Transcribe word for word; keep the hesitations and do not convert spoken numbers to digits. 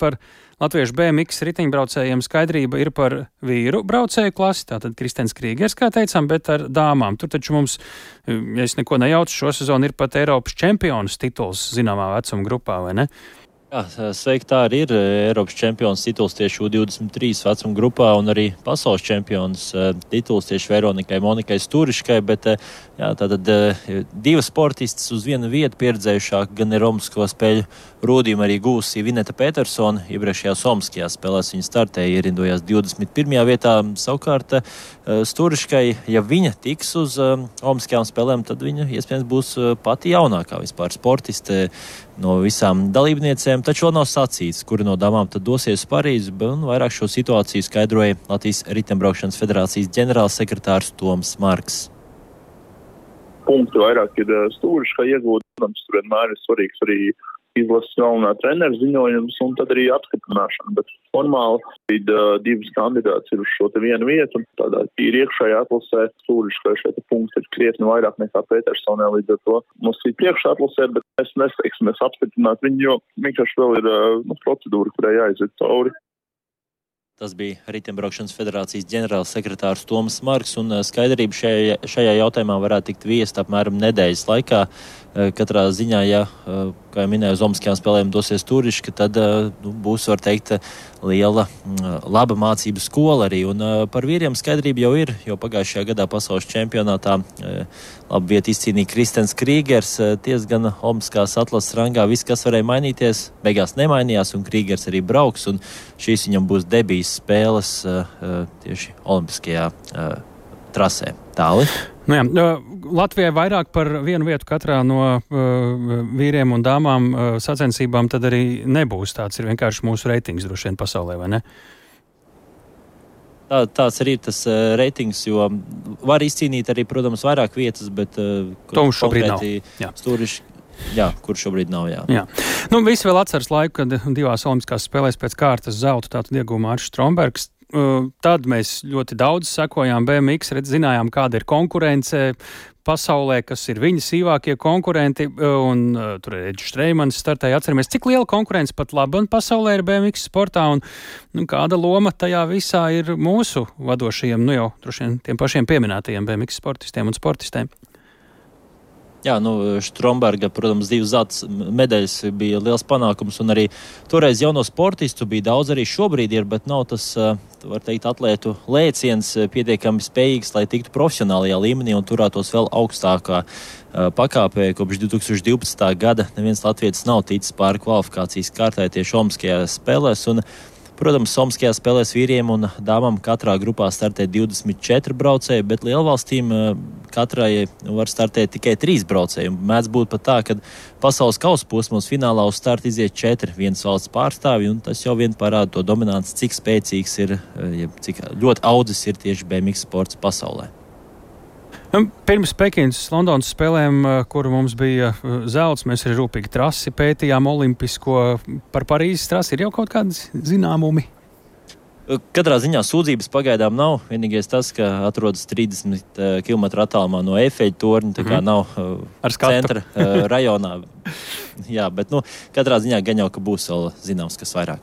par latviešu B M X riteņbraucējiem skaidrība ir par vīru braucēju klasi, tātad Kristens Krīgers, kā teicām, bet ar dāmām. Tur taču mums, ja es neko nejaucu, šo sezonu ir pat Eiropas čempionas tituls zināmā vecuma grupā, vai ne? Jā, sveiki, tā arī ir Eiropas čempions tituls tieši U divdesmit trīs vecuma grupā un arī pasaules čempions tituls tieši Veronikai Monikai Sturiškai, bet jā, tātad divas sportistas uz vienu vietu pieredzējušāk gan ir Olimpisko spēļu rūdījumu arī gūsi Vineta Petersona, iepriekšējā Somskajā spēlēs viņa startēja, ierindojās divdesmit pirmajā vietā, savukārt Sturiškai, ja viņa tiks uz Olimpiskajām spēlēm, tad viņa iespējams būs pati jaunākā vispār sportiste no visām dalībniecēm, taču vēl nav sacīts, kura no damām tad dosies uz Parīzi, un vairāk šo situāciju skaidroja Latvijas riteņbraukšanas federācijas ģenerālsekretārs Toms Marks. Punkti vairāk ir Sturiškai iegūt, protams, tur vienmēr ir svarīgs arī izlases galvenā trenera ziņojums un tad arī apstiprināšana, bet formāli bija uh, divas kandidāts ir uz šo te vienu vietu, un tādā tīri iekšējā atlasē Sturiškai šie te punkti ir krietni vairāk nekā Petersonē, līdz ar to mums ir priekšā atlasē, bet mēs nesteiksim, mēs apstiprināt viņu, jo vienkārši vēl ir uh, nu, procedūra, kurai jāiziet cauri. Tas bija Riteņbraukšanas federācijas ģenerālsekretārs Toms Marks, un skaidrība šajā, šajā jautājumā varētu tikt viesta apmēram nedēļas laikā. Katrā ziņā, ja, kā jau minēju, uz Olimpiskajām spēlēm dosies Sturiška, tad nu, būs, var teikt, liela, laba mācību skola arī. Un par vīriem skaidrība jau ir, jo pagājušajā gadā pasaules čempionātā labu vietu izcīnīja Kristens Krīgers. Ties gan Olimpiskās atlases rangā viss, kas varēja mainīties, beigās nemainījās, un Krīgers arī brauks, un šīs viņam būs debijas spēles tieši Olimpiskajā trasē. Tāli? Nu jā, Latvijai vairāk par vienu vietu katrā no uh, vīriem un dāmām uh, sacensībām tad arī nebūs. Tāds ir vienkārši mūsu reitings droši vien pasaulē, vai ne? Tā, tāds arī ir tas uh, reitings, jo var izcīnīt arī, protams, vairāk vietas, bet uh, to mums šobrīd nav. Jā. Sturiški, jā, kur šobrīd nav, jā. jā. Nu, visi vēl atceras laiku, kad divās olimpiskās spēlēs pēc kārtas zeltu tātad iegūja Mārcis Strombergs. Tad mēs ļoti daudz sekojām B M X, redz, zinājām, kāda ir konkurence pasaulē, kas ir viņa sīvākie konkurenti, un uh, tur ir Edžs Streimans startēja, atceramies, cik liela konkurence pat labi un pasaulē ir B M X sportā, un nu, kāda loma tajā visā ir mūsu vadošajiem, nu jau droši vien tiem pašiem pieminētajiem B M X sportistiem un sportistēm. Jā, nu, Stromberga, protams, divas zelta medaļas bija liels panākums, un arī toreiz jauno sportistu bija daudz, arī šobrīd ir, bet nav tas, var teikt, atlētu lēciens pietiekami spējīgs, lai tiktu profesionālajā līmenī un turētos vēl augstākā pakāpē. Kopš divi tūkstoši divpadsmitā gada neviens latvietis nav ticis pāri kvalifikācijas kārtai tieši Olimpiskajās spēlēs, un protams, Olimpiskajās spēlēs vīriem un dāmām katrā grupā startē divdesmit četri braucēji, bet lielvalstīm katrai var startēt tikai trīs braucēji. Mēdz būt pat tā, ka pasaules kausa posmos finālā uz startu iziet četri vienas valsts pārstāvji, un tas jau vien parāda to dominanci, cik spēcīgs ir, cik ļoti audzis ir tieši B M X sports pasaulē. Pirms Pekinas Londonas spēlēm, kur mums bija zelts, mēs arī rūpīgi trasi pētījām olimpisko. Par Parīzes trasi ir jau kaut kādi zināmumi? Katrā ziņā sūdzības pagaidām nav. Vienīgais tas, ka atrodas trīsdesmit kilometru attālumā no Eifeļa torņa, tā kā mm. nav centra rajonā. Jā, bet nu, katrā ziņā gan jau, ka būs vēl zināms, kas vairāk.